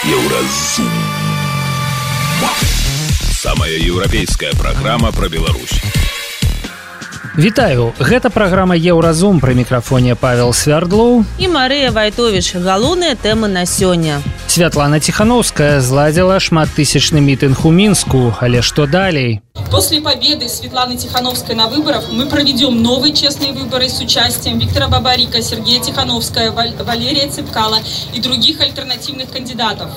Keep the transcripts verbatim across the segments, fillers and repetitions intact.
Еўразум. Самая еўрапейская праграма пра Беларусь. Вітаю, гэта праграма Еўразум, пры мікрафоне Павел Свярдлоў і Марыя Вайтовіч. Галоўныя тэмы на сёння. Святлана Тихановская зладзіла шматтысячны мітынг у Мінску, але што далей? После победы Светланы Тихановской на выборах мы проведем новые честные выборы с участием Виктора Бабарика, Сергея Тихановского, Валерия Цепкала и других альтернативных кандидатов.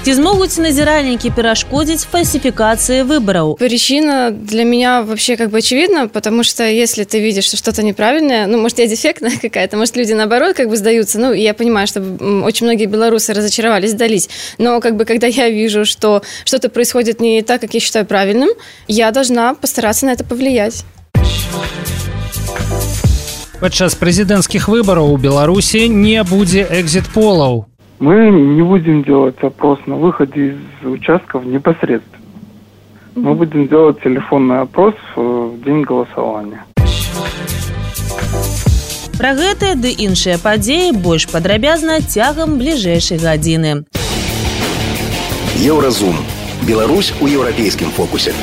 Ці змогуць назиральники перашкодзіць фальсификации выборов? Причина для меня вообще как бы очевидна, потому что если ты видишь, что что-то неправильное, ну, может, я дефектная какая-то, может, люди наоборот как бы сдаются, ну, я понимаю, что очень многие белорусы разочаровались, сдались, но как бы когда я вижу, что что-то происходит не так, как я считаю правильным, я должна постараться на это повлиять. Падчас прэзідэнцкіх выбараў у Беларусі не будзе экзит-полаў. Мы не будем делать опрос на выходе из участков непосредственно. Мы будем делать телефонный опрос в день голосования. Пра гэтыя ды іншыя падзеі больш падрабязна цягам бліжэйшай гадзіны. Еўразум. Беларусь у еўрапейскім фокусе.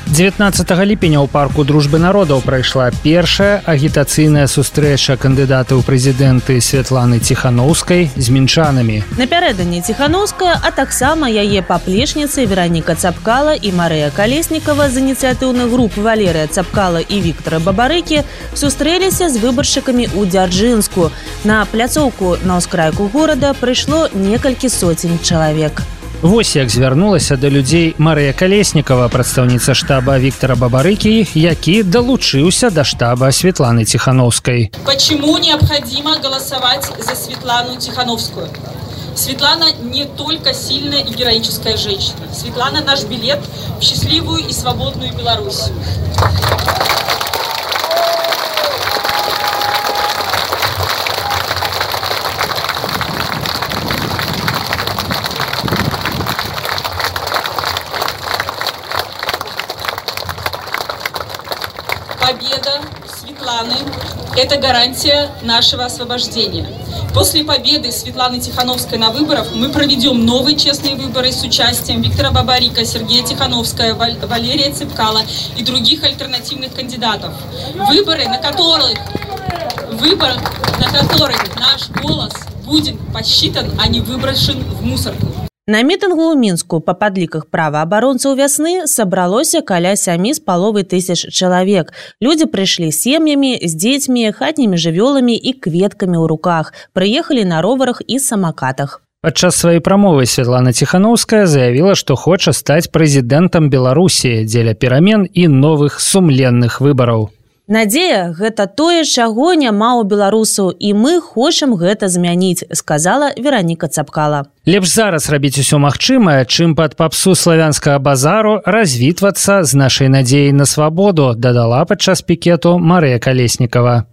дзевятнаццатага ліпеня ў парку Дружбы народаў прайшла першая агітацыйная сустрэча кандыдата ў прэзідэнты Святланы Тихановскай з мінчанамі. Напярэдадні Тихановская, а таксама яе паплечніцы Вераніка Цапкала і Марыя Калеснікава з ініцыятыўных груп Валерія Цапкала і Віктора Бабарыкі сустрэліся з выбаршчыкамі ў Дзяржынску. На пляцоўку на ўскрайку горада прыйшло некалькі соцень чалавек. Вось як звярнулася да людзей Марыя Калеснікава, прадстаўніца штаба Віктора Бабарыкі, які далучыўся да штаба Светланы Тихановской. Почему необходимо голосовать за Светлану Тихановскую? Светлана не только сильная и героическая женщина. Светлана наш билет в счастливую и свободную Беларусь. Победа Светланы – это гарантия нашего освобождения. После победы Светланы Тихановской на выборах мы проведем новые честные выборы с участием Виктора Бабарика, Сергея Тихановского, Валерия Цепкала и других альтернативных кандидатов. Выборы, на которых, выборы, на которых наш голос будет посчитан, а не выброшен в мусорку. На мітынгу ў Мінску па падліках праваабаронцаў вясны сабралося каля сямі з паловай тысяч чалавек. Людзі прыйшлі сем'ямі, з дзецьмі, хатнімі жывёламі і кветкамі ў руках. Прыехалі на роварах і самакатах. Падчас сваёй прамовы Светлана Тихановская заявіла, што хоча стаць прэзідэнтам Беларусі дзеля перамен і новых сумленных выбараў. Надзея – гэта тое, чаго няма ў беларусаў, і мы хочам гэта змяніць, сказала Вераніка Цапкала. Лепш зараз рабіць усё магчымае, чым пад папсу славянскага базару развітвацца з нашай надзеяй на свабоду, дадала падчас пікету Марыя Калеснікава.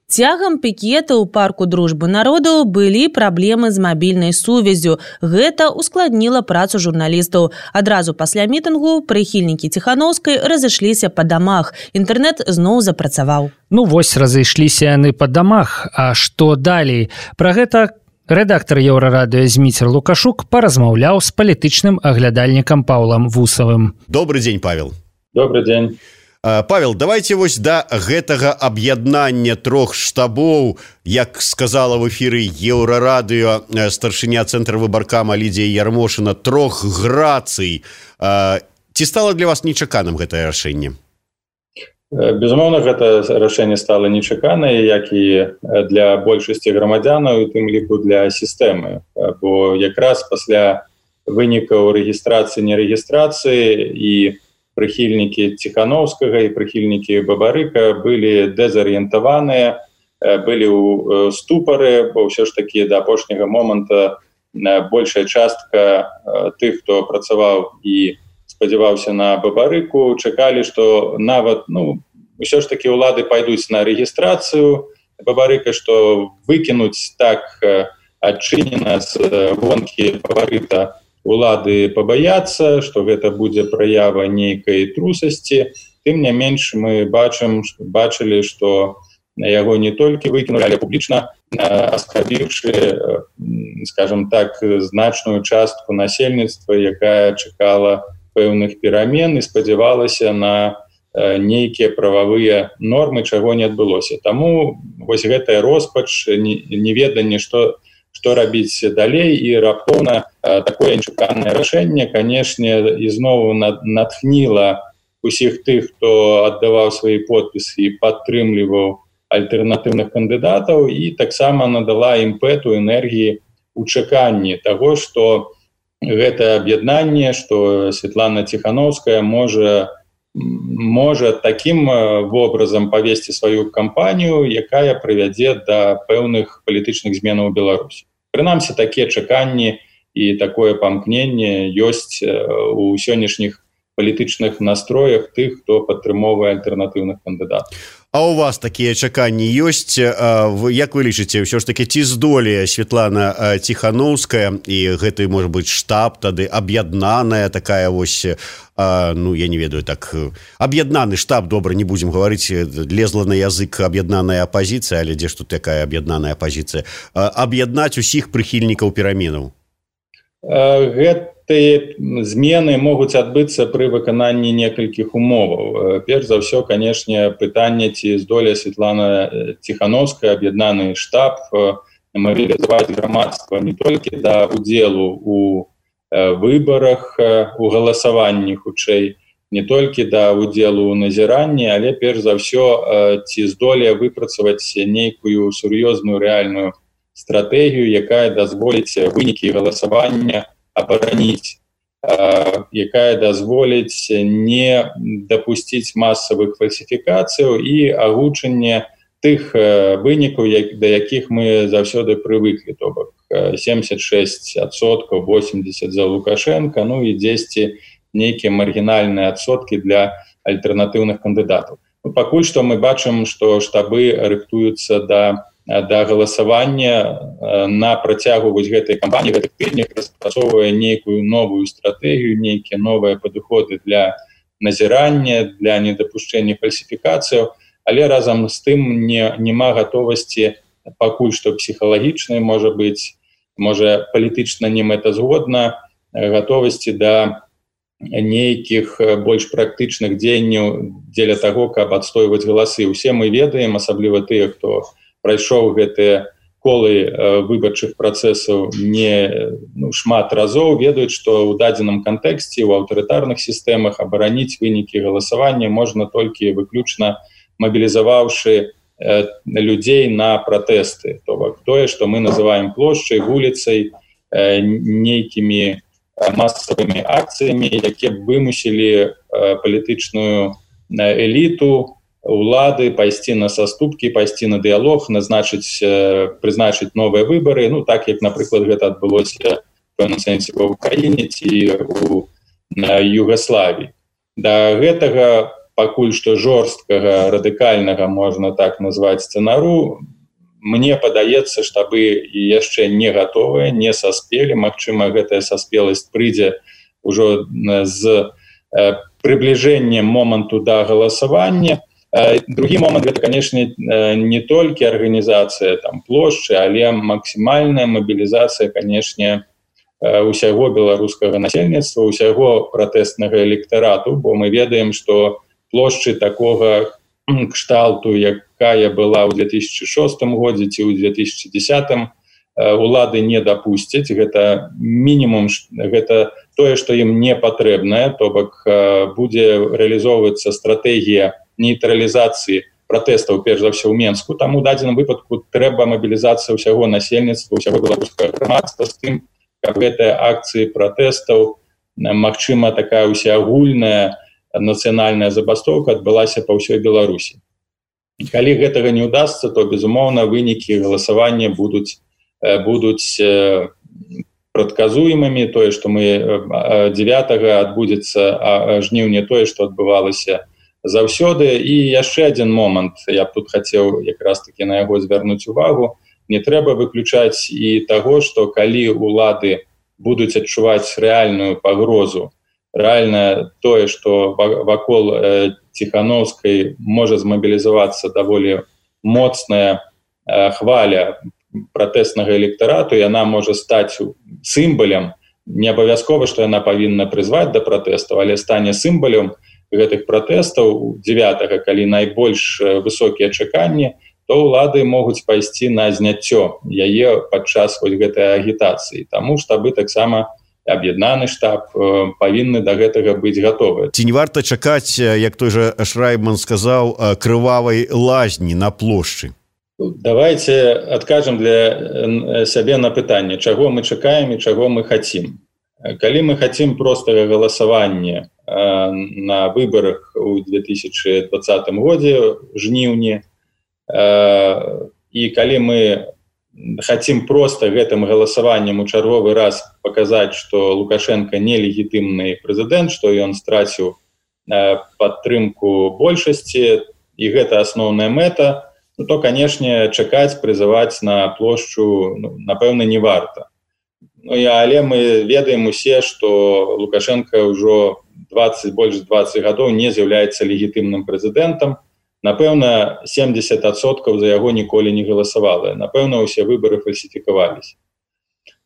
Цягам пікета ў парку Дружбы народаў былі праблемы з мабільнай сувяззю. Гэта ускладніла працу журналістаў. Адразу пасля мітынгу прыхільнікі Тихановскай разышліся па дамах. Інтэрнэт зноў запрацаваў. Ну вось разышліся яны па дамах. А што далей? Пра гэта рэдактар Еўрарадыё Зміцер Лукашук паразмаўляў з палітычным аглядальнікам Паўлам Вусавым. Добрый дзень, Павел. Добрый дзень. Павел, давайте вось да гэтага аб'яднання трох штабоў, як сказала в эфіры Еўрарадыё старшыня цэнтра выбаркама Лідзія Ярмошына, трох грацый. Ці стала для вас нечаканым гэтае рашэнне? Безумоўна, гэта рашэнне стала нечаканае, як і для большасці грамадзянаў, у тым ліку для сістэмы. Бо якраз пасля вынікаў рэгістрацыі, нерэгістрацыі і прыхільнікі Тихановскага і прыхільнікі Бабарыка былі дэзарыентаваныя, былі ў ступары, бо ўсё ж такі да апошняга моманта большая частка тых, хто працаваў і спадзяваўся на Бабарыку, чакалі, што нават, ну, ўсё ж такі ўлады пайдуць на рэгістрацыю Бабарыка, што выкінуць так адчынена з гонкі Бабарыка улады пабаяцца, што гэта будзе праява нейкай трусасці. Тым не менш мы бачым, бачылі, што яго не толькі выкінули, але публічна аскарбіўшы, скажем так, значную частку насельніцтва, якая чакала пэўных перамен і спадзявалася на нейкія прававыя нормы, чаго не адбылося. Таму вось гэтая роспач, неведанне, што што рабіць далей, і раптоўна такое нечаканае рашэнне, канешне, ізноў натхніла усіх тых, хто аддаваў свае подпісы і падтрымліваў альтэрнатыўных кандыдатаў, і таксама надала імпэту, энергіі ў чаканні таго, што гэта аб'яднанне, што Светлана Ціхановская можа можа такім вобразам павесці сваю кампанію, якая прывядзе да пэўных палітычных зменаў у Беларусі. Прынамсі, такія чаканні і такое памкненне ёсць у сённяшніх палітычных настроях тых, хто падтрымоўвае альтэрнатыўных кандыдатаў. А у вас такія чаканні ёсць? Як вы лічыце, ўсё ж такі, ці здолее Светлана Ціхановская і гэты, можа быць, штаб тады аб'яднаная такая вось, ну, я не ведаю, так, аб'яднаны штаб, добра, не будзем гаварыць, лезла на язык аб'яднаная апазіцыя, але дзе ж тут такая аб'яднаная апазіцыя, аб'яднаць усіх прыхільнікаў пераменаў? Гэтыя змены могуць адбыцца пры выкананні некалькіх умоваў. Перш за ўсё, канешне, пытанне, ці здолее Светлана Ціхановская, аб'яднаны штаб, мабілізаваць грамадства не толькі да удзелу у выбарах, у галасаванні хутчэй, не толькі да удзелу ў назіранні, але перш за ўсё, ці здолее выпрацаваць нейкую сур'ёзную рэальную стратэгію, якая дазволіць вынікі галасавання абараніць, якая дазволіць не дапусціць масавых фальсіфікацыяў і агучанне тых вынікаў, да якіх мы заўсёды прывыклі, то бок семьдесят шесть адсоткаў, восемьдесят за Лукашенко, ну і дзесьці нейкія маргінальныя адсоткі для альтэрнатыўных кандыдатаў. Пакуль што мы бачым, што штабы рыхтуюцца да да галасавання на працягу вось гэтай кампаніі, гэтых тыднях, распрацоўвае нейкую новую стратэгію, нейкія новыя падыходы для назірання, для недапушчэння фальсіфікацыяў, але разам з тым не, нема гатовасці пакуль што псіхалагічнай, можа быць, можа палітычна не мэтазгодна, гатовасці да нейкіх больш практычных дзеянняў дзеля таго, каб адстойваць галасы. Усе мы ведаем, асабліва тыя, хто прайшоў гэтыя колы выбарчых працэсаў не ну, шмат разоў, ведаюць, што ў дадзеным кантэксце ў аўтарытарных сістэмах абараніць вынікі галасавання можна толькі выключна мабілізаваўшы э, людзей на пратэсты. То бок тое, што мы называем плошчай, вуліцай, э, нейкімі масавымі акцыямі, якія вымусілі э, палітычную эліту, улады пайсці на саступкі, пайсці на дыялог, назначыць, прызначыць новыя выбары, ну так як, напрыклад, гэта адбылося в пэўным сэнсе ва ўкраіне ці ў Югаславіі. Да гэтага пакуль што жорсткага, радыкальнага, можна так назваць, сцэнару, мне падаецца, штабы яшчэ не гатовыя, не саспелі. Магчыма, гэтая саспеласць прыйдзе ўжо з прыбліжэннем моманту да галасавання. Другі момант, гэта, канешне, не толькі арганізацыя там плошчы, але максімальная мабілізацыя, канешне, усяго беларускага насельніцтва, усяго пратэстнага электарату, бо мы ведаем, што плошчы такога кшталту, якая была ў две тысячи шостым годзе ці ў две тысячи десятым, улады не дапусцяць. Гэта мінімум, гэта тое, што ім не патрэбнае, то бок будзе рэалізоўвацца стратэгія нейтралізацыі пратэстаў, перш за ўсё ў Менску. Таму ў дадзеным выпадку трэба мабілізацыя ўсяго насельніцтва, ўсяго беларускага грамадства з тым, каб гэтыя акцыі пратэстаў, магчыма, такая усеагульная нацыянальная забастоўка адбылася па ўсёй Беларусі. Калі гэтага не ўдасца, то, безумоўна, вынікі галасавання будуць, будуць прадказуемымі. Тое, што мы дзевятага адбудзецца жніўня, тое, што адбывалася заўсёды. І яшчэ адзін момант, я б тут хацеў якраз такі на яго звярнуць увагу. Не трэба выключаць і таго, што калі улады будуць адчуваць рэальную пагрозу, рэальна тое, што вакол Ціхановскай можа змабілізавацца даволі моцная хваля пратэснага электарату, яна можа стаць сімвалем, не абавязкова, што яна павінна прызваць да пратэстаў, але стане сімвалем гэтых пратэстаў дзевятага, калі найбольш высокія чаканні, то ўлады могуць пайсці на зняццё яе падчас вось гэтай агітацыі. Таму штабы таксама аб'яднаны штаб павінны да гэтага быць гатовы. Ці не варта чакаць, як той жа Шрайбман сказаў, крывавай лазні на плошчы? Давайте адкажам для сябе на пытанне, чаго мы чакаем і чаго мы хацім. Калі мы хацім простага галасавання на выбарах у две тысячи двадцатым годзе жніўні, і калі мы хацім проста гэтым галасаваннем у чарговы раз паказаць, што Лукашенко нелегітымны прэзідэнт, што ён страціў падтрымку большасці, і гэта асноўная мэта, ну, то, канешне, чакаць, прызываць на плошчу, ну, напэўна, не варта. Ну, але мы ведаем усе, што Лукашенко ўжо двадцать, больш двадцать гадоў не з'яўляецца легітымным прэзідэнтам. Напэўна, семьдесят адсоткаў за яго ніколі не галасавала. Напэўна, усе выбары фальсіфікаваліся.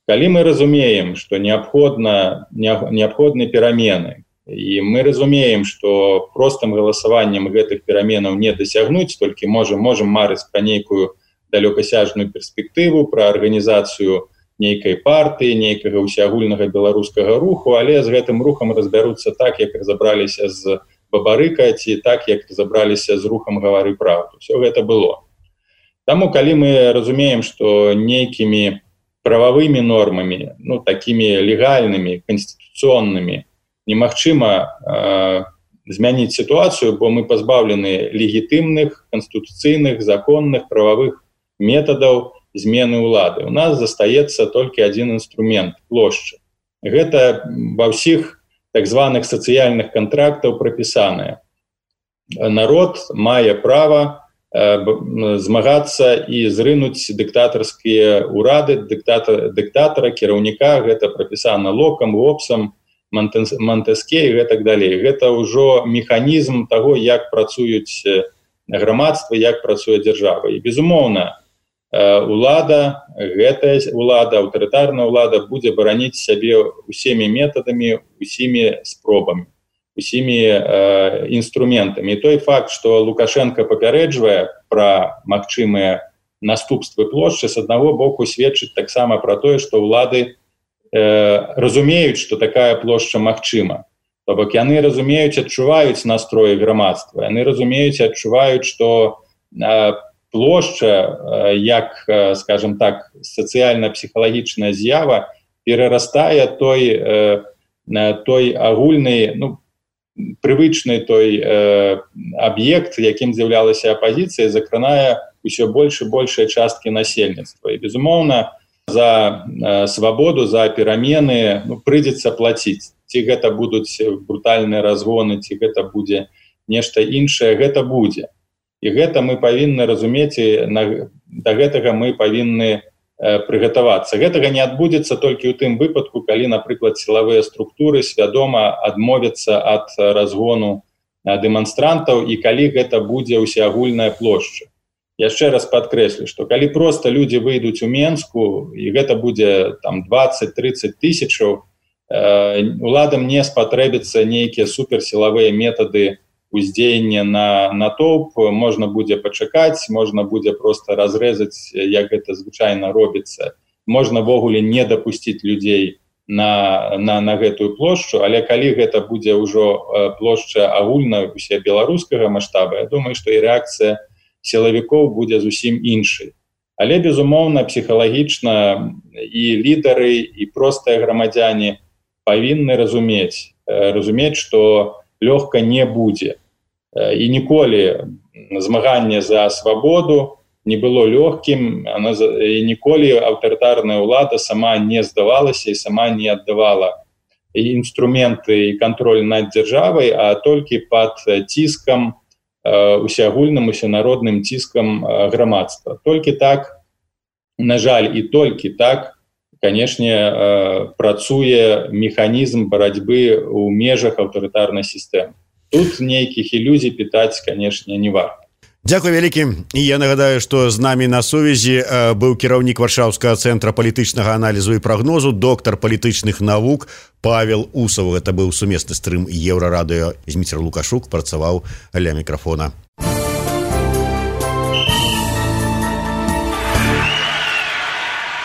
Калі мы разумеем, што неабходна, неабходны перамены, і мы разумеем, што простым галасаваннем гэтых пераменаў не дасягнуць, толькі можам, можам марыць пра нейкую далёкасяжную перспектыву, пра арганізацыю нейкай партыі, нейкага ўсеагульнага беларускага руху, але з гэтым рухам разбяруцца так, як разабраліся з Бабарыка, ці так, як забраліся з рухам «Гавары правду». Все гэта было. Таму, калі мы разумеем, што нейкімі прававымі нормамі, ну, такімі легальнымі, канстытуцыйнымі, немагчыма э, змяніць сітуацыю, бо мы пазбаўлены легітымных, канстытуцыйных, законных, прававых метадаў змены ўлады. У нас застаецца толькі адзін інструмент – плошча. Гэта ва ўсіх так званых сацыяльных кантрактаў прапісаныя. Народ мае права э, змагацца і зрынуць дыктатарскія ўрады, дыктатара, дыктатара, кіраўніка, гэта прапісана Локам, Гоббсам, Монтеске і гэтак далей. Гэта ўжо механізм таго, як працуюць грамадства, як працуе дзяржава. І, безумоўна, улада, гэтая улада, аўтарытарная ўлада будзе бараніць сябе усімі метадамі, усімі спробамі, усімі э, інструментамі. І той факт, што Лукашенко папярэджвае пра магчымыя наступствы плошчы, з аднаго боку сведчыць таксама пра тое, што ўлады э, разумеюць, што такая плошча магчыма. То бок яны разумеюць, адчуваюць настроі грамадства, яны разумеюць, адчуваюць, што э, плошча, як, скажем так, сацыяльна-псіхалагічная з'ява, перарастае той, той агульны, ну, прывычны той аб'ект, якім з'яўлялася апазіцыя, закранае ўсё больш і большыя часткі насельніцтва. І, безумоўна, за свабоду, за перамены, ну, прыйдзецца плаціць. Ці гэта будуць брутальныя разгоны, ці гэта будзе нешта іншае, гэта будзе. І гэта мы павінны разумець, і на, да гэтага мы павінны э, прыгатавацца. Гэтага не адбудзецца толькі ў тым выпадку, калі, напрыклад, сілавыя структуры свядома адмовяцца ад разгону э, дэманстрантаў, і калі гэта будзе ўсеагульная плошча. Яшчэ раз падкрэслю, што калі проста людзі выйдуць у Менску, і гэта будзе там двадцать-тридцать тысячаў, э, уладам не спатрэбіцца нейкія суперсілавыя метады уздзеяння на натоўп, можна будзе пачакаць, можна будзе проста разрэзаць, як гэта звычайна робіцца. Можна ввогуле не дапусціць людзей на, на, на гэтую плошчу, але калі гэта будзе ўжо плошча агульна усебеларускага маштаба, я думаю, што і рэакцыя сілавікоў будзе зусім іншай. Але, безумоўна, псіхалагічна і лідары, і простыя грамадзяне павінны разумець, разумець, што лёгка не будзе. І ніколі змаганне за свабоду не было лёгкім, і ніколі аўтарытарная ўлада сама не здавалася і сама не аддавала інструменты і кантроль над дзяржавай, а толькі пад ціскам, усеагульным, усенародным ціскам грамадства. Толькі так, на жаль, і толькі так, канешне, працуе механізм барацьбы ў межах аўтарытарнай сістэмы. Тут нейкіх ілюзій пытаць, канешне, не варта. Дзякуй вялікі. І я нагадаю, што з намі на сувязі быў кіраўнік Варшаўскага цэнтра палітычнага аналізу і прагнозу, доктар палітычных навук Павел Усов. Гэта быў сумесны стрым Еўрарадыё. Зміцер Лукашук працаваў ля мікрафона.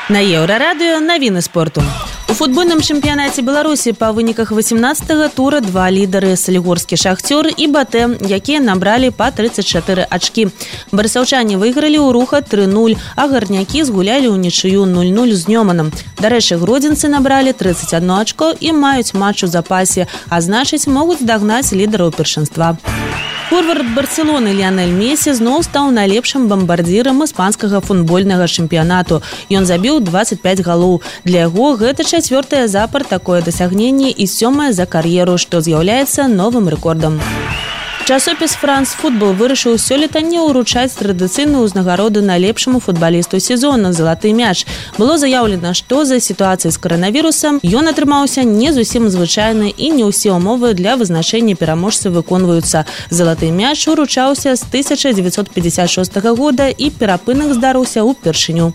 На Еўрарадыё навіны спорту. У футбольным чэмпіянаце Беларусі па выніках васемнаццатага тура два лідары — салігорскі «Шахцёр» і «БТ», якія набралі па трыццаць чатыры ачкі. Барысаўчане выйгралі ў «Руха» тры нуль, а гарнякі згулялі ўнічыю нуль нуль з Нёманам. Дарэчы, гродзенцы набралі трыццаць адно ачко і маюць матч у запасе, а значыць, могуць дагнаць лідараў першынства. Форвард Барселоны Ліанель Месі зноў стаў найлепшым бамбардзірам іспанскага футбольнага чэмпіянату. Ён забіў дваццаць пяць галоў. Для яго гэта чацвёртае запар такое дасягненне і сёмае за кар'еру, што з'яўляецца новым рэкордам. Часопіс «Франс Футбол» вырашыў сёлета не ўручаць традыцыйную ўзнагароду найлепшаму футбалісту сезона «Залаты мяч». Было заяўлена, што за сітуацыяй з каранавірусам ён атрымаўся не зусім звычайны і не ўсе ўмовы для вызначэння пераможцы выконваюцца. «Залаты мяч» уручаўся з тысяча дзевяцьсот пятьдесят шостага года і перапынак здарыўся ўпершыню.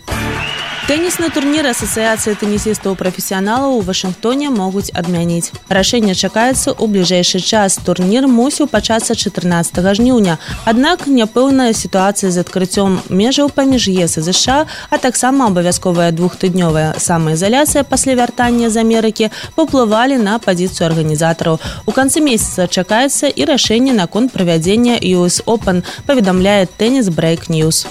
Тэнісны турнір Асацыяцыі тэнісістаў-прафесіяналаў у Вашынгтоне могуць адмяніць. Рашэнне чакаецца ў бліжэйшы час. Турнір мусіў пачацца чатырнаццатага жніўня. Аднак няпэўная сітуацыя з адкрыццём межаў паміж ЕС і ЗША, а таксама абавязковая двухтыднёвая самаізаляцыя пасля вяртання з Амерыкі паўплывалі на пазіцыю арганізатараў. У канцы месяца чакаецца і рашэнне наконт правядзення ю эс Open, паведамляе Tennis Break News.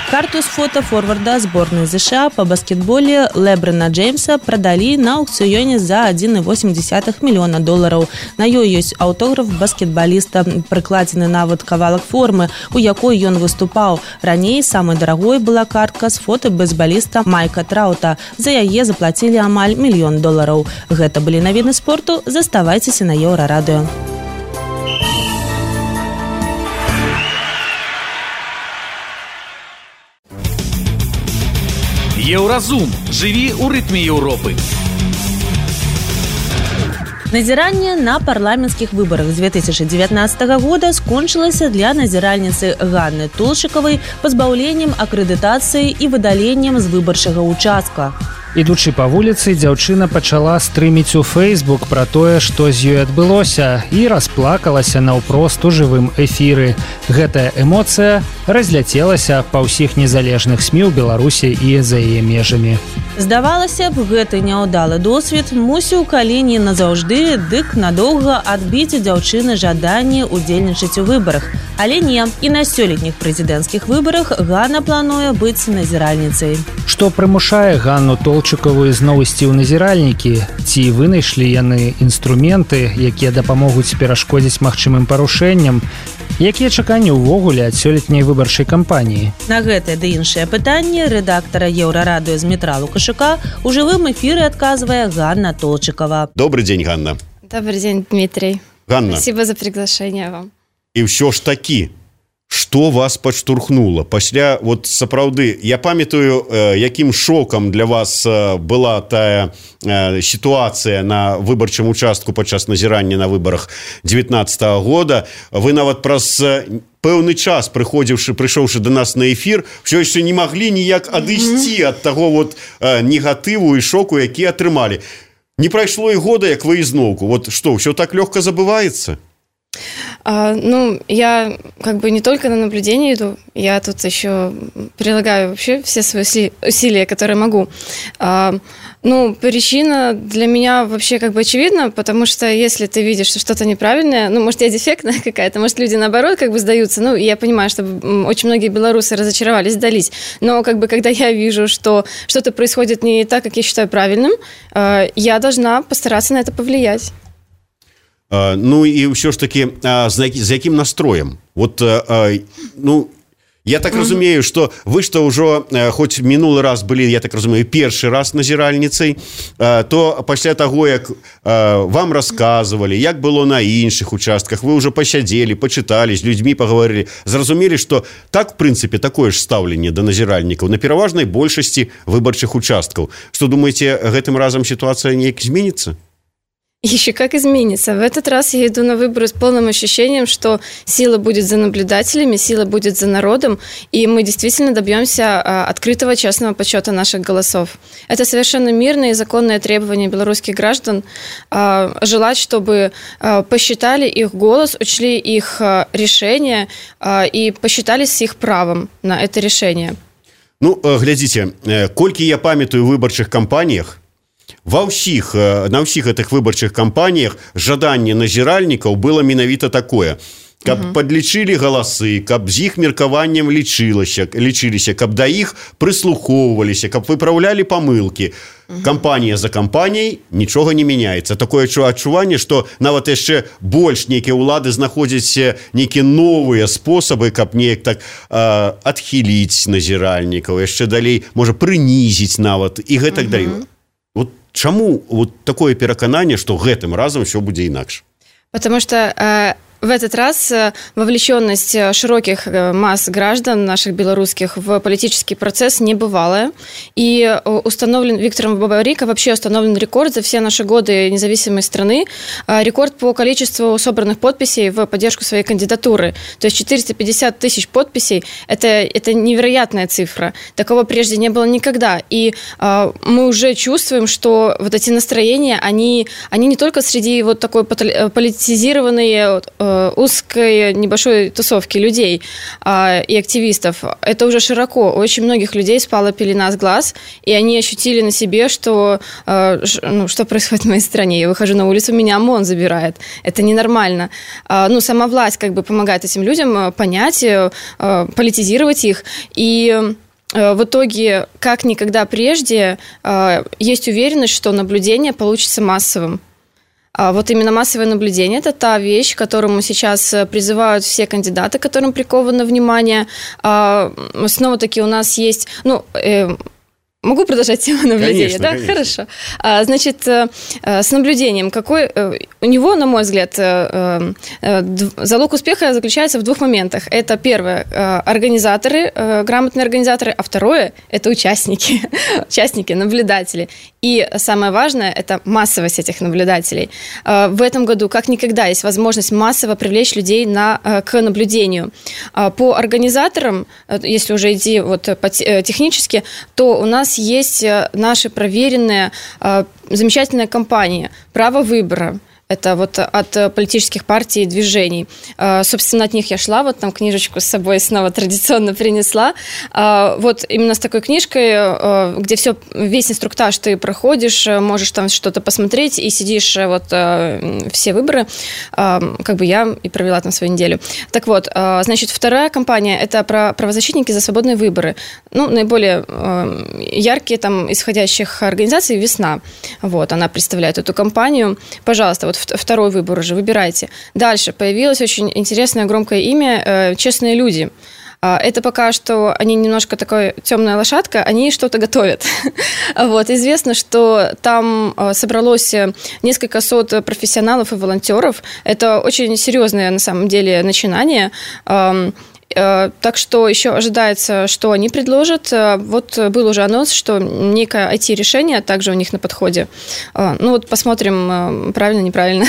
Карту з фота форварда зборнай ЗША па баскетболе Лебрана Джеймса прадалі на аукцыёне за адзін і восем дзесятых мільёна долараў. На ёй ёсць аўтограф баскетбаліста, прыкладзены нават кавалак формы, у якой ён выступаў. Раней самай дарагой была картка з фота бейсбаліста Майка Траута. За яе заплацілі амаль мільён долараў. Гэта былі навіны спорту. Заставайцеся на Еўрарадыё. Еўразум. Жыві ў рытме Еўропы. Назіранне на парламенцкіх выбарах з две тысячы дзевятнаццатага года скончылася для назіральніцы Ганны Толчыкавай пазбаўленнем акрэдытацыі і выдаленнем з выбарчага ўчастка. Ідучы па вуліцы, дзяўчына пачала стрыміць у Facebook пра тое, што з ёй адбылося, і расплакалася наўпрост у жывым эфіры. Гэтая эмоцыя разляцелася па ўсіх незалежных СМІ ў Беларусі і за яе межамі. Здавалася б, гэты няўдалы досвед мусіў калі не назаўжды, дык надоўга адбіць у дзяўчыны жаданне ўдзельнічаць у выбарах. Але не, і на сёлетніх прэзідэнцкіх выбарах Ганна плануе быць назіральніцай. Што прымушае Ганну Толчыкаву зноў ісці ў назіральнікі? Ці вынайшлі яны інструменты, якія дапамогуць перашкодзіць магчымым парушэнням? Якія чаканні ўвогуле ад сёлетняй выбарчай кампаніі? На гэтае ды іншае пытанне рэдактара Еўрарадыё Змітра Лукашука у жывым эфіры адказвае Ганна Толчыкава. Добрый день, Ганна. Добрый день, Дмитрий. Ганна. Спасибо за приглашение вам. І ўсё ж такі, што вас падштурхнула? Пасля, вот сапраўды, я памятаю, э, якім шокам для вас э, была тая э, сітуацыя на выбарчым участку падчас назірання на выбарах дзевятнаццатага года. Вы нават праз э, пэўны час, прыходзіўшы, прыйшоўшы да нас на эфір, ўсё яшчэ не маглі ніяк адысці mm-hmm. ад таго вот э, негатыву і шоку, які атрымалі. Не прайшло і года, як вы ізноўку. Вот што, ўсё так лёгка забываецца? А, ну, я как бы не только на наблюдение иду, я тут еще прилагаю вообще все свои усилия, которые могу. А, ну, причина для меня вообще как бы очевидна, потому что если ты видишь, что что-то неправильное, ну, может, я дефектная какая-то, может, люди наоборот как бы сдаются, ну, я понимаю, что очень многие белорусы разочаровались, сдались, но как бы когда я вижу, что что-то происходит не так, как я считаю правильным, я должна постараться на это повлиять. Uh, ну і ўсё ж таки uh, з, з якім настроем? Вот, uh, uh, ну, я так mm-hmm. разумею, што вы што ўжо uh, хоць мінулы раз былі, я так разумею, першы раз назіральніцай, uh, то пасля таго, як uh, вам расказвалі, як было на іншых участках, вы ўжо пасядзелі, пачыталі, з людзьмі паговорылі, зразумелі, што так, в прынцыпе, такое ж стаўленне да назіральнікаў на пераважнай большасці выбарчых участкаў. Што думаеце, гэтым разам сітуацыя неяк зменіцца? Еще как изменится. В этот раз я иду на выборы с полным ощущением, что сила будет за наблюдателями, сила будет за народом, и мы действительно добьемся открытого, честного подсчета наших голосов. Это совершенно мирное и законное требование белорусских граждан желать, чтобы посчитали их голос, учли их решение и посчитали с их правом на это решение. Ну, глядзіце, колькі я памятаю ў выбарчых кампаніях, ва ўсіх, на ўсіх гэтых выбарчых кампаніях жаданне назіральнікаў было менавіта такое, каб угу. падлічылі галасы, каб з іх меркаваннем лічылася, лічыліся, каб да іх прыслухоўваліся, каб выпраўлялі памылкі. Угу. Кампанія за кампаніяй нічога не мяняецца. Такое адчуванне, што нават яшчэ больш нейкія ўлады знаходзяць нейкія новыя спосабы, каб неяк так э, адхіліць назіральнікаў, яшчэ далей, можа, прынізіць нават і гэтак угу. далей. Вот чаму вот такое перакананне, што гэтым разам все будзе інакш? Потому что э, в этот раз вовлеченность широких масс граждан наших белорусских в политический процесс небывалая. И установлен Виктором Бабарико, вообще установлен рекорд за все наши годы независимой страны, рекорд по количеству собранных подписей в поддержку своей кандидатуры. То есть четыреста пятьдесят тысяч подписей – это, это невероятная цифра. Такого прежде не было никогда. И э, мы уже чувствуем, что вот эти настроения, они, они не только среди вот такой политизированной, узкой небольшой тусовки людей а, и активистов. Это уже широко. У очень многих людей спала пелена с глаз, и они ощутили на себе, что, а, ш, ну, что происходит в моей стране. Я выхожу на улицу, меня ОМОН забирает. Это ненормально. А, ну, сама власть как бы помогает этим людям понять, а, политизировать их. И в итоге, как никогда прежде, а, есть уверенность, что наблюдение получится массовым. Вот именно массовое наблюдение – это та вещь, к которому сейчас призывают все кандидаты, которым приковано внимание. Снова-таки у нас есть… ну, Могу продолжать тему наблюдения? Конечно, да? конечно. Хорошо. Значит, с наблюдением. Какой у него, на мой взгляд, залог успеха заключается в двух моментах. Это первое – организаторы, грамотные организаторы, а второе – это участники, участники, наблюдатели. И самое важное – это массовость этих наблюдателей. В этом году, как никогда, есть возможность массово привлечь людей на, к наблюдению. По организаторам, если уже идти вот технически, то у нас есть наши проверенные замечательные кампании «Право выбора». Это вот от политических партий и движений. Собственно, от них я шла, вот там книжечку с собой снова традиционно принесла. Вот именно с такой книжкой, где все, весь инструктаж ты проходишь, можешь там что-то посмотреть и сидишь вот все выборы, как бы я и провела там свою неделю. Так вот, значит, вторая кампания – это про правозащитники за свободные выборы. Ну, наиболее яркие там исходящих организаций «Весна». Вот, она представляет эту кампанию. Пожалуйста, вот второй выбор уже, выбирайте. Дальше появилось очень интересное громкое имя «Честные люди». Это пока что они немножко такая темная лошадка, они что-то готовят. Вот, известно, что там собралось несколько сот профессионалов и волонтеров. Это очень серьезное на самом деле начинание. Так что еще ожидается, что они предложат. Вот был уже анонс, что некое ай ти-решение также у них на подходе. Ну вот посмотрим, правильно, неправильно.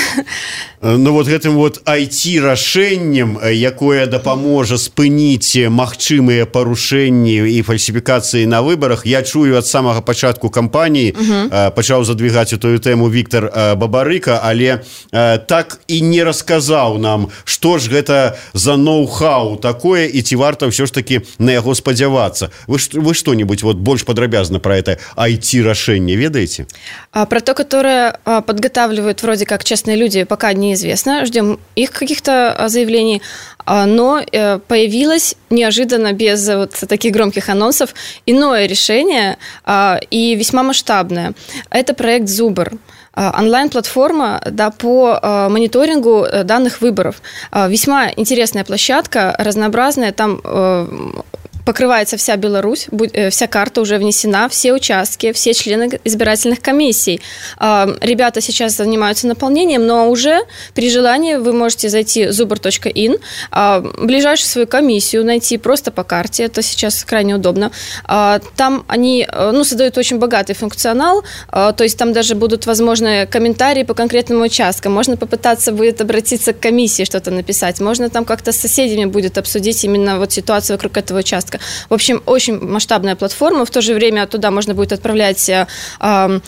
Ну вот гэтым вот ай ти-рашэннем, якое дапаможа спыніць магчымыя парушэнні і фальсіфікацыі на выбарах, я чую ад самага пачатку кампаніі, угу. пачаў задвигаць эту тэму Віктор Бабарыка, але так і не расказаў нам, што ж гэта за ноу-хау такое, і ці варта ўсё ж таки на яго спадзявацца. Вы, вы что-нибудь вот больш падрабязна про это ай ти-рашэнне ведаеце? Про то, которое подготавливают вроде как «Честные люди», пока неизвестно. Ждем их каких-то заявлений. Но появилось неожиданно, без вот таких громких анонсов, иное решение и весьма масштабное. Это проект «Зубр». Онлайн-платформа, да, по мониторингу данных выборов. Весьма интересная площадка, разнообразная. Там покрывается вся Беларусь, вся карта уже внесена, все участки, все члены избирательных комиссий. Ребята сейчас занимаются наполнением, но уже при желании вы можете зайти зубр точка ин, ближайшую свою комиссию найти просто по карте, это сейчас крайне удобно. Там они ну, создают очень богатый функционал, то есть там даже будут возможны комментарии по конкретным участкам, можно попытаться будет обратиться к комиссии, что-то написать, можно там как-то с соседями будет обсудить именно вот ситуацию вокруг этого участка. В общем, очень масштабная платформа, в то же время туда можно будет отправлять э, э,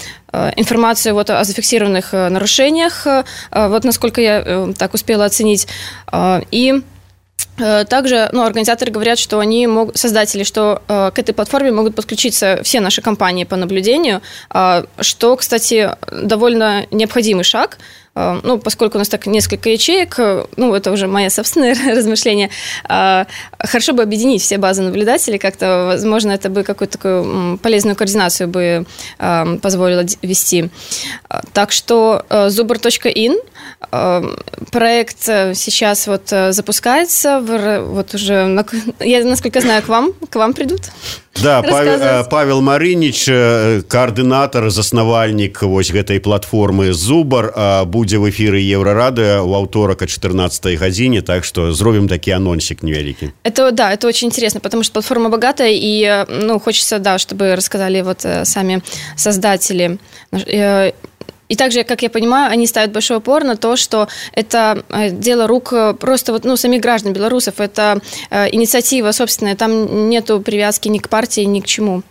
информацию вот о зафиксированных нарушениях, э, вот насколько я э, так успела оценить, э, и также ну, организаторы говорят, что они могут, создатели, что э, к этой платформе могут подключиться все наши компании по наблюдению, э, что, кстати, довольно необходимый шаг, э, ну, поскольку у нас так несколько ячеек, э, ну, это уже мое собственное размышление, э, хорошо бы объединить все базы наблюдателей, как-то, возможно, это бы какую-то такую полезную координацию бы э, позволило вести. Так что э, зубр точка ин, э, проект сейчас вот запускается, вот уже, я, насколько знаю, к вам, к вам придут. Да, Павел, Павел Марынич, координатор, заснавальнік вось гэтай платформы Зубар, будзе в эфиры Еврорадио у аўторак о четырнадцатой гадзіне, так что зробім такі анонсик невеликий. Это, да, это очень интересно, потому что платформа богатая, и, ну, хочется, да, чтобы рассказали вот сами создатели. И также, как я понимаю, они ставят большой упор на то, что это дело рук просто вот, ну, самих граждан белорусов. Это инициатива собственная, там нету привязки ни к партии, ни к чему.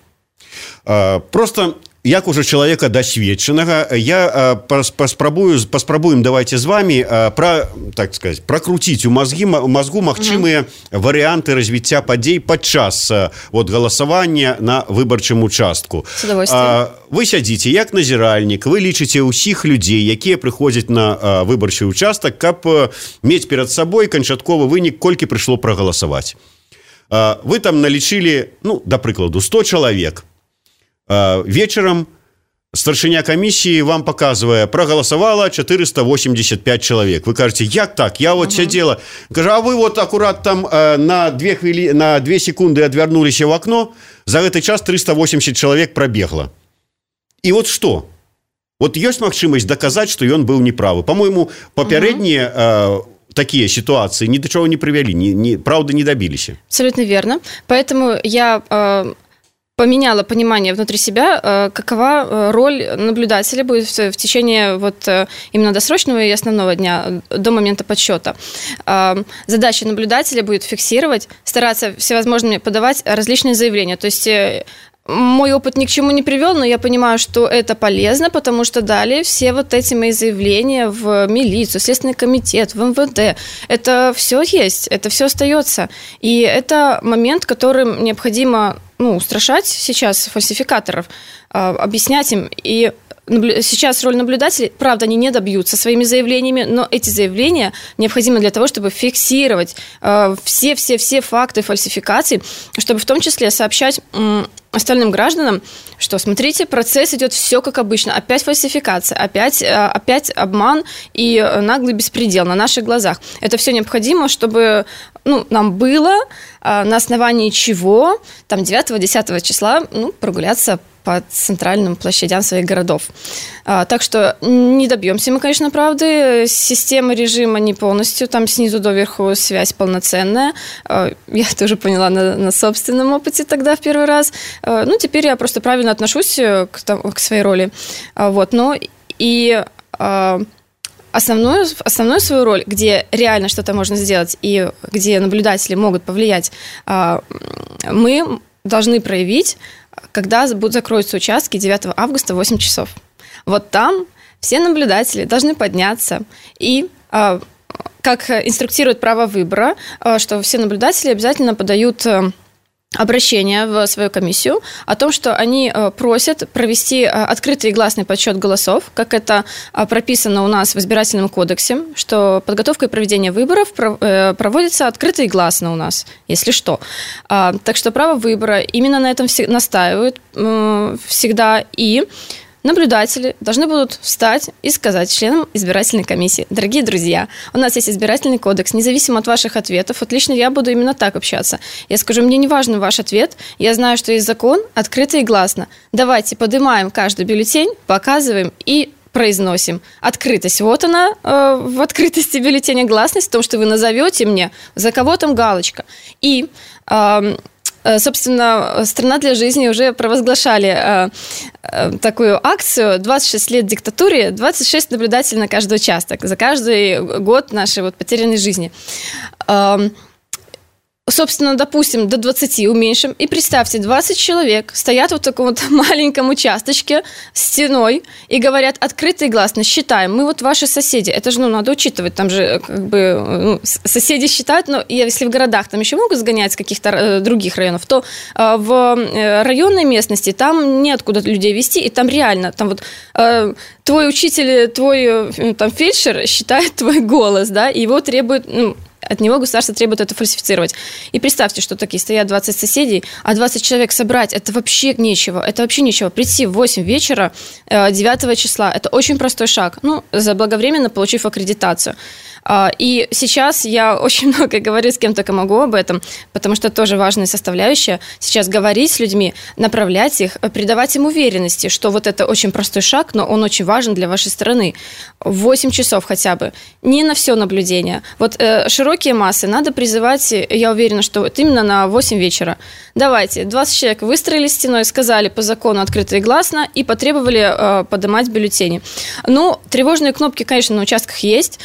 Просто... Як уже человека досведченного, я паспрабую, паспрабуем давайте з вами про, так сказать, прокрутить у мозги, мозгу магчымыя угу. варианты развіцця падзей падчас вот, голосования на выбарчым участку. С удовольствием. Вы сядзіце як назіральнік, вы лічыце ўсіх людзей, якія прыходзяць на выбарчы участак, каб мець перад сабой канчатковы вынік, колькі прыйшло прагаласаваць. Вы там налічылі, ну, да прыкладу, сто чалавек. Вечером старшыня комиссии вам показывая, проголосовало четыреста восемьдесят пять человек. Вы кажете, як так? Я вот uh-huh. сидела. Кажу, а вы вот аккурат там э, на, две хвили... на две секунды отвернулись в окно, за этот час триста восемьдесят человек пробегло. И вот что? Вот есть магчымасць доказать, что он был неправы. По-моему, попередние... Uh-huh. Э, такие ситуации ни до чего не привели, ни, ни, правда не добились. Абсолютно верно. Поэтому я... Э... поменяла понимание внутри себя, какова роль наблюдателя будет в течение вот именно досрочного и основного дня до момента подсчета. Задача наблюдателя будет фиксировать, стараться всевозможными подавать различные заявления. То есть мой опыт ни к чему не привел, но я понимаю, что это полезно, потому что далее все вот эти мои заявления в милицию, Следственный комитет, в эм вэ дэ, это все есть, это все остается. И это момент, которым необходимо ну, устрашать сейчас фальсификаторов, объяснять им. И сейчас роль наблюдателей, правда, они не добьются своими заявлениями, но эти заявления необходимы для того, чтобы фиксировать все-все-все факты фальсификаций, чтобы в том числе сообщать остальным гражданам, что, смотрите, процесс идет все как обычно. Опять фальсификация, опять, опять обман и наглый беспредел на наших глазах. Это все необходимо, чтобы ну, нам было на основании чего там девятого-десятого числа ну, прогуляться по центральным площадям своих городов. А, так что не добьемся мы, конечно, правды. Система режима не полностью, там снизу доверху связь полноценная. А, я тоже поняла на, на собственном опыте тогда в первый раз. А, ну, теперь я просто правильно отношусь к, к своей роли. А, вот, но и... А, Основную, основную свою роль, где реально что-то можно сделать и где наблюдатели могут повлиять, мы должны проявить, когда будут закроются участки девятого августа в восемь часов. Вот там все наблюдатели должны подняться и, как инструктирует право выбора, что все наблюдатели обязательно подают обращение в свою комиссию о том, что они просят провести открытый и гласный подсчет голосов, как это прописано у нас в избирательном кодексе, что подготовка и проведение выборов проводится открыто и гласно у нас, если что. Так что право выбора именно на этом настаивают всегда, и наблюдатели должны будут встать и сказать членам избирательной комиссии: дорогие друзья, у нас есть избирательный кодекс, независимо от ваших ответов, вот лично я буду именно так общаться. Я скажу: мне не важен ваш ответ, я знаю, что есть закон, открыто и гласно. Давайте поднимаем каждый бюллетень, показываем и произносим. Открытость. Вот она э, в открытости бюллетеня, гласность в том, что вы назовете мне, за кого там галочка. И э, собственно, «Страна для жизни» уже провозглашали э, э, такую акцию «двадцать шесть лет диктатуре, двадцать шесть наблюдателей на каждый участок» за каждый год нашей вот потерянной жизни. Э, Собственно, допустим, до двадцати уменьшим. И представьте, двадцать человек стоят вот в таком вот маленьком участочке стеной и говорят открыто и гласно: считаем, мы вот ваши соседи. Это же, ну, надо учитывать, там же как бы ну, соседи считают, но если в городах там еще могут сгонять с каких-то э, других районов, то э, в районной местности там неоткуда людей везти, и там реально, там вот э, твой учитель, твой э, там фельдшер считает твой голос, да, и его требует, ну, от него государство требует это фальсифицировать. И представьте, что такие стоят двадцать соседей, а двадцать человек собрать – это вообще нечего. Это вообще нечего. Прийти в восемь вечера девятого числа – это очень простой шаг, ну, заблаговременно получив аккредитацию. И сейчас я очень много говорю с кем только могу об этом, потому что это тоже важная составляющая. Сейчас говорить с людьми, направлять их, придавать им уверенности, что вот это очень простой шаг, но он очень важен для вашей страны. восемь часов хотя бы. Не на все наблюдение. Вот э, широкие массы надо призывать, я уверена, что вот именно на восемь вечера. Давайте, двадцать человек выстроились стеной, сказали по закону открыто и гласно и потребовали э, поднимать бюллетени. Ну, тревожные кнопки, конечно, на участках есть.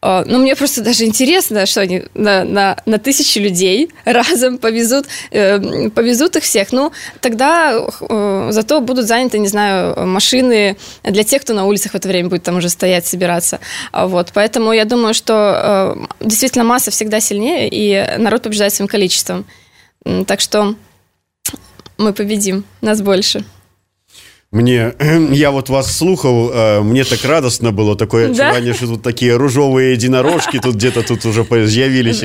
Но мне просто даже интересно, что они на, на, на тысячи людей разом повезут, э, повезут их всех. Ну, тогда э, зато будут заняты, не знаю, машины для тех, кто на улицах в это время будет там уже стоять, собираться. Вот. Поэтому я думаю, что э, действительно масса всегда сильнее, и народ побеждает своим количеством. Так что мы победим, нас больше. Мне, я вот вас слухал, мне так радостно было, такое отчувание, да? Что тут такие ружовые единорожки тут где-то тут уже появились.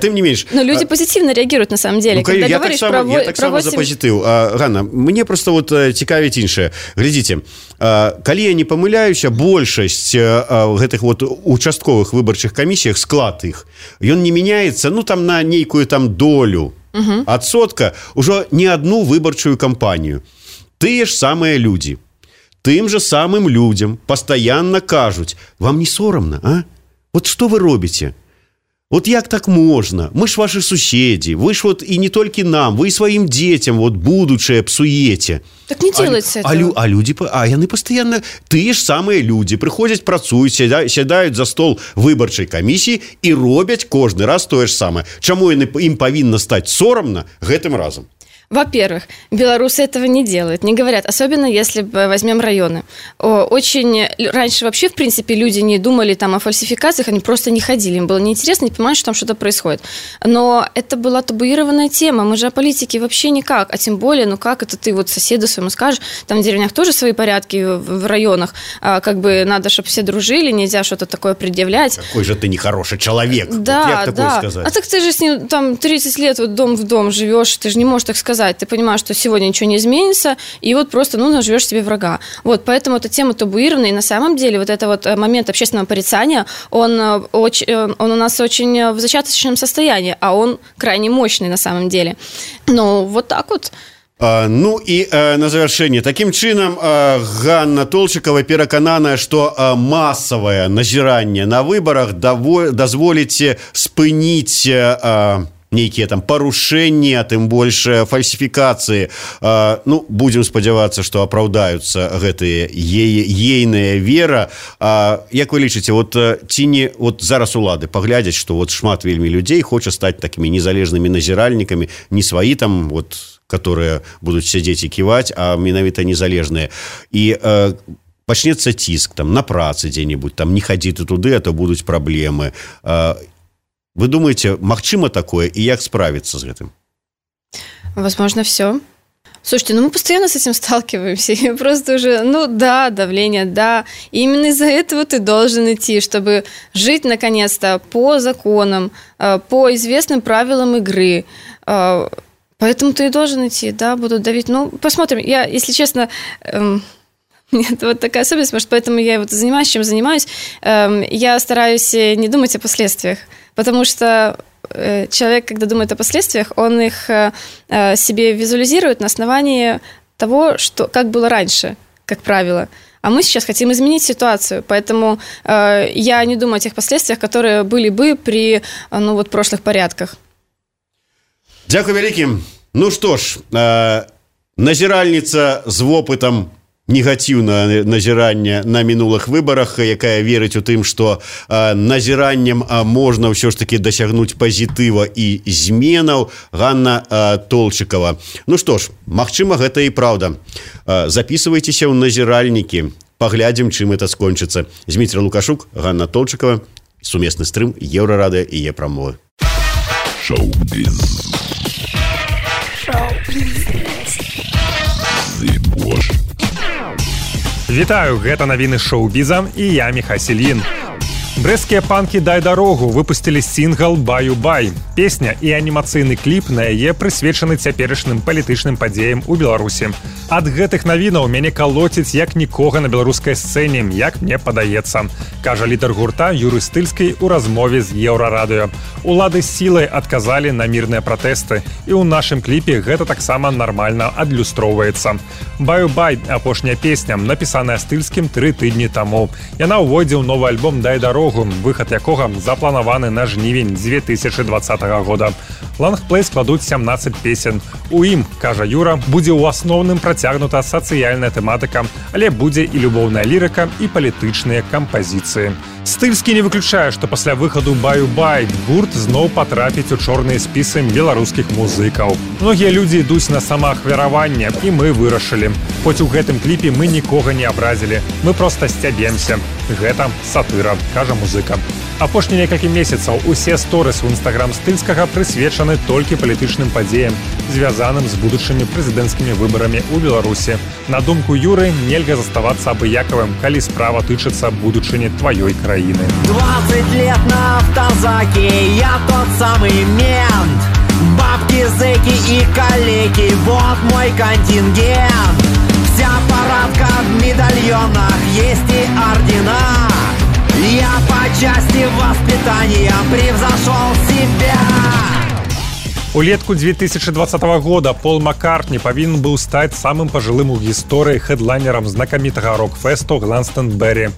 Тем не меньше. Но люди позитивно реагируют на самом деле. Ну, когда я так само, про, я так само восемь... за позитив. Ганна, мне просто вот цікавіць іншае. Глядзіце, калі я не памыляюся, большасць гэтых вот участковых выбарчых камісіях, склад іх, ён не мяняецца, ну там на нейкую там долю угу. адсотка ўжо не одну выбарчую кампанію. Тыя ж самыя людзі, тым же самым людзям пастаянна кажуць: вам не сорамна, а? Вот што вы робіце? Вот як так можна? Мы ж ваши суседзі, вы ж вот і не толькі нам, вы і сваім дзецям вот будучае псуеце. Так не делается а, этого. А, а люди, а яны пастаянна, тыя ж самыя людзі прыходзяць, працуюць, сядаюць за стол выбарчай камісіі і робяць кожны раз тое ж самае. Чаму ім павінна стаць сорамна гэтым разам? Во-первых, белорусы этого не делают, не говорят, особенно если возьмем районы. Очень раньше вообще, в принципе, люди не думали там о фальсификациях, они просто не ходили, им было неинтересно, не понимали, что там что-то происходит. Но это была табуированная тема, мы же о политике вообще никак, а тем более, ну как это ты вот соседу своему скажешь, там в деревнях тоже свои порядки в районах, как бы надо, чтобы все дружили, нельзя что-то такое предъявлять. Какой же ты нехороший человек, да, вот да. А так ты же с ним там тридцать лет вот дом в дом живешь, ты же не можешь так сказать. Ты понимаешь, что сегодня ничего не изменится, и вот просто, ну, наживешь себе врага. Вот, поэтому эта тема табуированная, и на самом деле вот этот вот момент общественного порицания, он, он у нас очень в зачаточном состоянии, а он крайне мощный на самом деле. Ну, вот так вот. А, ну і а, на завяршэнне такім чынам а, Ганна Толчыкова перакананая, што а, масавае назіранне на выбарах даво, дазволіць спыніць а, нейкія там парушэнні, а тым больш фальсіфікацыі. А, ну, будзем спадзявацца, што апраўдаюцца гэтыя е- ейная вера. А, як вы лічыце, вот ці не вот зараз улады паглядзяць, што вот шмат вельмі людзей хоча стаць такімі незалежнымі назіральнікамі, не сваі там вот, которые будуць сядзець і ківаць, а менавіта незалежныя. І э, пачнецца ціск там на працы дзе-небудзь, там не хадзі ты туды, а то будуць праблемы. А, вы думаете, магчыма такое, и як справиться с этим? Возможно, все. Слушайте, ну мы постоянно с этим сталкиваемся. И просто уже, ну да, давление, да. И именно из-за этого ты должен идти, чтобы жить, наконец-то, по законам, по известным правилам игры. Поэтому ты и должен идти, да, будут давить. Ну, посмотрим. Я, если честно... Эм... Нет, вот такая особенность, может, поэтому я вот занимаюсь, чем занимаюсь. Я стараюсь не думать о последствиях, потому что человек, когда думает о последствиях, он их себе визуализирует на основании того, что, как было раньше, как правило. А мы сейчас хотим изменить ситуацию, поэтому э, я не думаю о тех последствиях, которые были бы при ну, вот, прошлых порядках. Дякую вялікім. Ну што ж, э, назіральніца з вопытам негатыўнае назіранне на мінулых выбарах, якая верыць у тым, што э, назіраннем э, можна ўсё ж таки дасягнуць пазітыва і зменаў. Ганна э, Толчыкова. Ну што ж, магчыма, гэта і праўда. Э, записывайтеся ў назіральнікі, паглядзім, чым это скончыцца. Зміцер Лукашук, Ганна Толчыкова, сумесны стрым Еўрарадыё і Е-прамовы. Шоу-біз. Шоу-біз. Зыбош. Вітаю, гэта навіны шоу-біза і я Міха Сельін. Брэсцкія панкі «Дай дарогу» выпусцілі сінгл «Баю-бай». Песня і анімацыйны кліп на яе прысвечаны цяперашнім палітычным падзеям у Беларусі. Ад гэтых навінаў мяне калоціць як нікога на беларускай сцэне, як мне падаецца, кажа лідар гурта Юры Стыльскай у размове з Еўрарадыё. Улады сілай адказалі на мірныя пратэсты, і ў нашым кліпе гэта таксама нармальна адлюстроўваецца. «Баю-бай» – апошняя песня, напісаная Стыльскім тры тыдні таму. Яна ўвойдзе ў новы альбом «Дай дарогу», выхад якога запланаваны на жнівень дзве тысячы дваццатага года. Лонгплей складуць сямнаццаць песен. У ім, кажа Юра, будзе ў асноўным працягнута сацыяльная тэматыка, але будзе і любоўная лірыка, і палітычныя кампазіцыі. Стыльскі не выключае, што пасля выхаду «Баю-бай» гурт зноў патрапіць у чорныя спісы беларускіх музыкаў. Многія людзі ідуць на самаахвяраванне, і мы вырашылі. Хоць у гэтым кліпе мы нікога не абразілі, мы проста сцябемся. Гэта сатыра, кажа музыка. Апошнія некалькі месяцаў усе сторыс у інстаграм Стыльскага прысвечаны толькі палітычным падзеям, звязаным з будучымі прэзідэнцкімі выбарамі ў Беларусі. На думку Юры, нельга заставацца абыякавым, калі справа тычыцца будучыні тваёй краіны. двадцать лет на автозаке, я тот самый мент. Бабки, зэки и калеки, вот мой контингент. Вся парадка в медальонах, есть и ордена. Я по части воспитания превзошел себя. Улетку дзве тысячы двадцатага года Пол Маккартні павінен быў стаць самым пажылым у гісторыі хэдлайнерам знакамітага рок-фэсту Гланстэнбері.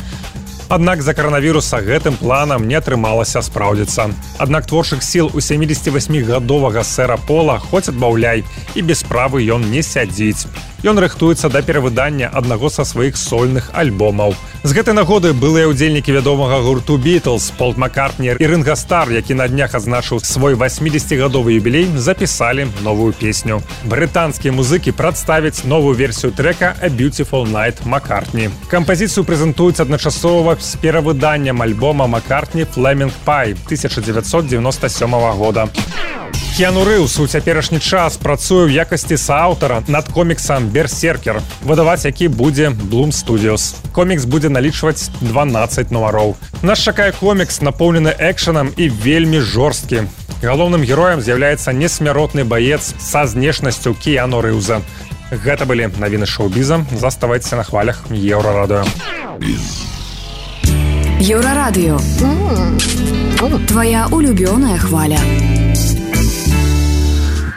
Аднак з-за каранавіруса гэтым планам не атрымалася спраўдзіцца. Аднак творчых сіл у сямідзесяцівасьмігадовага сэра Пола хоць адбаўляй, і без справы ён не сядзіць. Ён рыхтуецца да перавыдання аднаго са сваіх сольных альбомаў. З гэтай нагоды былыя ўдзельнікі вядомага гурту «Бітлз» Пол Маккартні і Ринго Стар, які на днях адзначыў свой васьмідзесяцігадовы юбілей, запісалі новую песню. Брытанскія музыкі прадставяць новую версію трэка «A Beautiful Night» Маккартні. Кампазіцыю прэзентуюць адначасова з перавыданнем альбома Маккартні «Flaming Pie» тысяча дзевяцьсот дзевяноста сёмага года. Кіану Рэйвс у цяперашні час працуе ў якасці сааўтара над коміксам «Берсеркер», выдаваць які будзе Bloom Studios. Комікс будзе налічваць дванаццаць нумароў. Нас чакае комікс, напоўнены экшанам і вельмі жорсткі. Галоўным героем з'яўляецца несмяротны баец са знешнасцю Кіану Рэйвза. Гэта былі навіны шоу-біза. Заставайцеся на хвалях Еўрарадыё. Еўрарадыё. Твоя улюбёная хваля.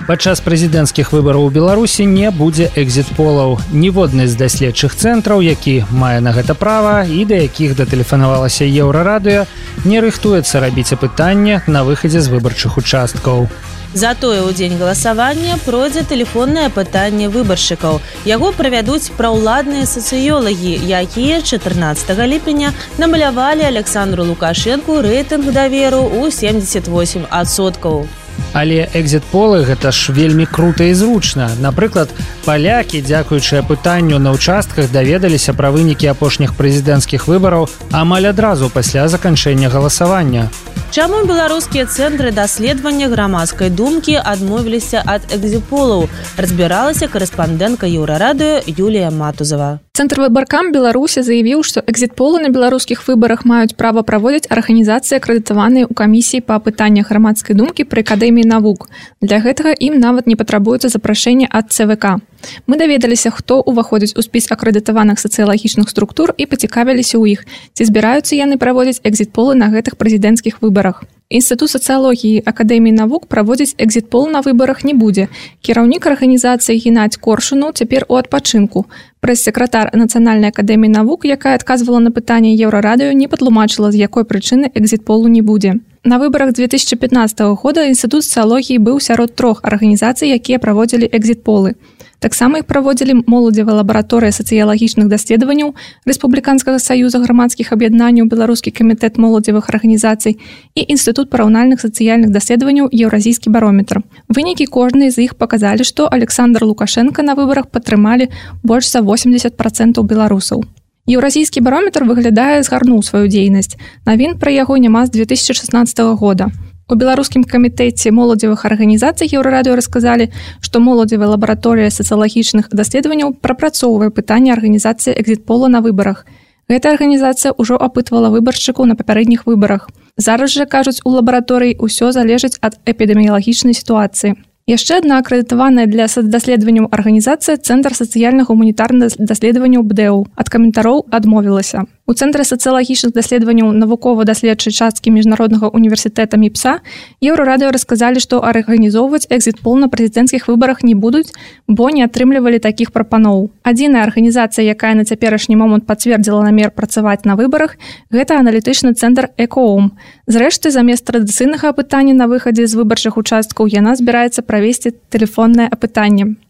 Падчас прэзідэнцкіх выбараў у Беларусі не будзе экзіт-полаў. Ніводны з даследчых цэнтраў, які мае на гэта права і да якіх датэлефанавалася Еўрарадыё, не рыхтуецца рабіць апытанне на выхадзе з выбарчых участкаў. Затое ў дзень галасавання пройдзе тэлефоннае апытанне выбаршчыкаў. Яго правядуць праўладныя сацыёлагі, якія чатырнаццатага ліпеня намалявалі Александру Лукашэнку рэйтынг даверу ў семдзесят восемь адсоткаў. Але экзіт-полы гэта ж вельмі крута і зручна. Напрыклад, палякі, дзякуючы апытанню на ўчастках, даведаліся пра вынікі апошніх прэзідэнцкіх выбараў амаль адразу пасля заканчэння галасавання. Чаму беларускія цэнтры даследавання грамадскай думкі адмовіліся ад экзіт-полаў, разбіралася корэспандэнтка Еўрарадыё Юлія Матузова. Цэнтр выбаркам Беларусі заявіў, што экзіт-полы на беларускіх выбарах маюць права праводзіць арганізацыі, акрэдытаваныя ў камісіі па апытаннях грамадскай думкі пры акадэміі акадэміі навук. Для гэтага ім нават не патрабуецца запрашэнне ад цэ вэ ка. Мы даведаліся, хто ўваходзіць у спіс акрэдытаваных сацыялагічных структур і пацікавіліся ў іх, ці збіраюцца яны праводзіць экзіт-полы на гэтых прэзідэнцкіх выбарах. Інстытут сацыялогіі акадэміі навук праводзіць экзіт-пол на выбарах не будзе. Кіраўнік арганізацыі Геннадзь Коршунаў цяпер у адпачынку. Прэс-сакратар Нацыянальнай акадэміі навук, якая адказвала на пытанне Еўрарадыё, не патлумачыла, з якой прычыны экзіт-полу не будзе. На выбарах две тысячи пятнадцатого года Інстытут сацыялогіі быў сярод трох арганізацый, якія праводзілі экзіт-полы. Таксама іх праводзілі моладзевая лабараторыя сацыялагічных даследаванняў Рэспубліканскага саюза грамадскіх аб'яднанняў, Беларускі камітэт моладзевых арганізацый і Інстытут параўнальных сацыяльных даследаванняў Еўразійскі барометр. Вынікі кожнай з іх паказалі, што Александр Лукашенко на выбарах падтрымалі больш за восемьдесят процентов беларусаў. Еўразійскі барометр выглядае згарнуў сваю дзейнасць. Навін пра яго няма з две тысячи шестнадцатого года. У беларускім камітэце моладзевых арганізацый Еўрарадыё расказалі, што моладзевая лабараторыя сацыялагічных даследаванняў прапрацоўвае пытанне арганізацыі экзіт-пола на выбарах. Гэта арганізацыя ўжо апытвала выбаршчыкаў на папярэдніх выбарах. Зараз жа, кажуць, у лабараторыі ўсё залежыць ад эпідэміялагічнай сітуацыі. Яшчэ адна акрэдытаваная для сацдаследаванняў арганізацыя Цэнтр сацыяльна-гуманітарных даследаванняў БДЭУ ад каментароў адмовілася. У Цэнтры сацыялагічных даследаванняў навукова-даследчай часткі міжнароднага універсітэта МІПСА Еўрарадыё расказалі, што арганізоўваць экзіт-пол на прэзідэнцкіх выбарах не будуць, бо не атрымлівалі такіх прапаноў. Адзіная арганізацыя, якая на цяперашні момант пацвердзіла намер працаваць на выбарах, гэта аналітычны цэнтр «Экоом». Зрэшты, замест традыцыйнага апытання на выхадзе з выбарчых участкаў яна збіраецца правесці тэлефоннае апытанне.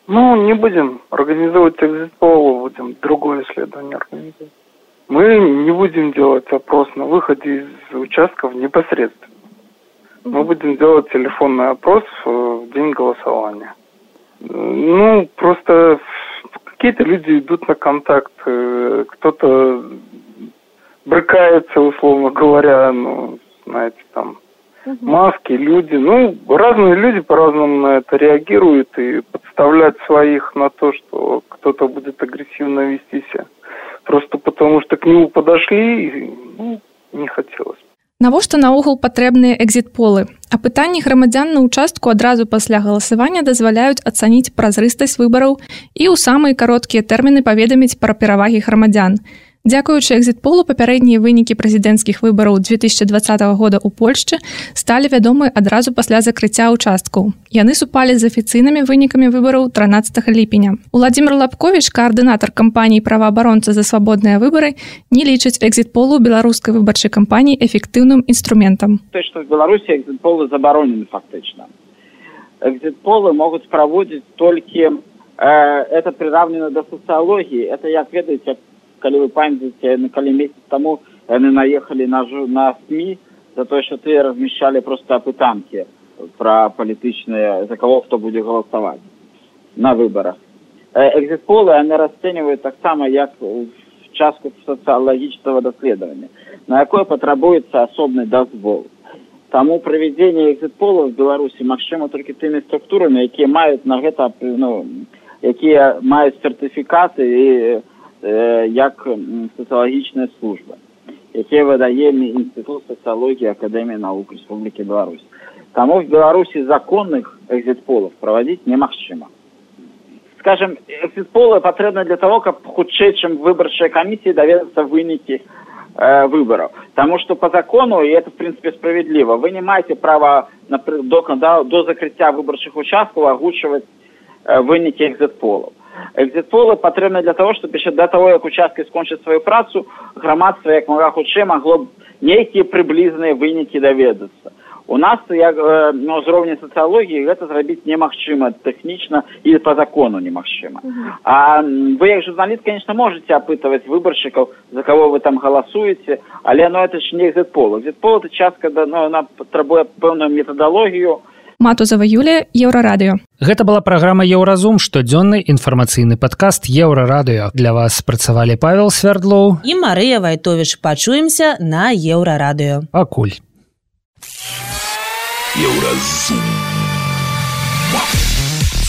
Ну, не будем организовывать экзит-пол, будем другое исследование организовать. Мы не будем делать опрос на выходе из участков непосредственно. Мы будем делать телефонный опрос в день голосования. Ну, просто какие-то люди идут на контакт, кто-то брыкается, условно говоря, ну, знаете, там, маски, люди. Ну, разные люди по-разному на это реагируют, и подставлять своих на то, что кто-то будет агрессивно вести себя. Просто потому, что к нему подошли, ну, не хотелось. Навошта наогул патрэбныя экзіт-полы? Апытанні грамадзян на участку адразу пасля галасавання дазваляюць ацаніць празрыстасць выбараў і ў самыя кароткія тэрміны паведаміць пра перавагі грамадзян. Дзякуючы экзіт-полу папярэднія вынікі прэзідэнцкіх выбараў две тысячи двадцатого года ў Польшчы сталі вядомы адразу пасля закрыцця участкаў. Яны супалі з афіцыйнымі вынікамі выбараў трынаццатага ліпеня. Уладзімир Лапковіч, каардынатар кампаніі «Праваабаронца за свабодныя выбары», не лічыць экзіт-полу беларускай выбарчай кампаніі эфектыўным інструментам. То, что в Беларуси экзит-полы забаронены фактично. Экзит-полы могут проводить только, э, это приравнено до социологии. Это, як ведаете, калі вы памятаеце, калі месяц таму яны наехалі на, на СМИ за то, что ты размещали просто апытанкі про палітычныя, за кого кто будзе галасаваць на выборах. Экзит-полы яны расцэньваюць таксама як частку социологического даследавання, на якое патрабуецца асобны дазвол. Таму правядзенне экзит-полаў в Беларусі магчыма толькі тымі структурамі, якія маюць на гэта, ну, якія маюць сертыфікаты і як сацыялагічная служба, якія выдае Інстытут сацыялогіі Акадэміі навук Рэспублікі Беларусь. Таму в Беларусі законных экзит-полов праводзіць немагчыма. Скажем, экзит-полы патрэбны для того, каб хутчэй, чым выбарчыя камісіі даведацца вынікі э, выборов. Потому что по закону, и это в принципе справедливо, вы не маете права до, до, до закрытия выборчих участков огучивать э, вынікі экзит-полов. Экзит-полы патрэбны для того, чтобы еще до того, как участки скончат свою працу, громадство, як мага хутчэй, могло некие приблизные вынікі доведацца. У нас, як, э, на ўзроўні сацыялогіі, гэта зрабіць немагчыма тэхнічна і по закону немагчыма. Uh-huh. А вы, як журналіст, конечно, можете опытывать выборщиков, за кого вы там голосуете, але ну, это ж не экзит-пол. Экзит-пол – это частка, ну, она потребует пэўную методологию. Матузова Юлія, Еўрарадыё. Гэта была праграма «Еўразум», штодзённы інфармацыйны падкаст «Еўрарадыё». Для вас працавалі Павел Свярдлоў і Марыя Вайтовіч. Пачуемся на Еўрарадыё. Пакуль. Еўразум.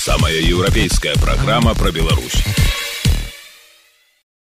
Самая европейская программа про Беларусь.